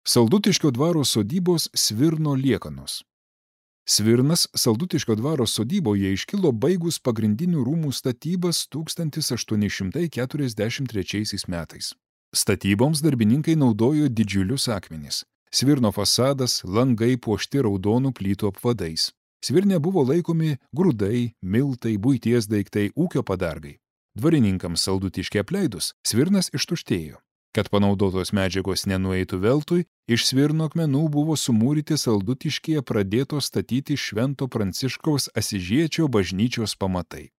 Saldutiškio dvaro sodybos Svirno liekanos. Svirnas Saldutiškio dvaro sodyboje iškilo baigus pagrindinių rūmų statybas 1843 metais. Statyboms darbininkai naudojo didžiulius akmenis. Svirno fasadas, langai puošti raudonų plytų apvadais. Svirne buvo laikomi grūdai, miltai, buities daiktai, ūkio padargai. Dvarininkams Saldutiškį apleidus, Svirnas ištuštėjo. Kad panaudotos medžiagos nenueitų veltui, iš Svirno akmenų buvo sumūryti Saldutiškyje pradėtos statyti Švento Pranciškaus Asyžiečio bažnyčios pamatai.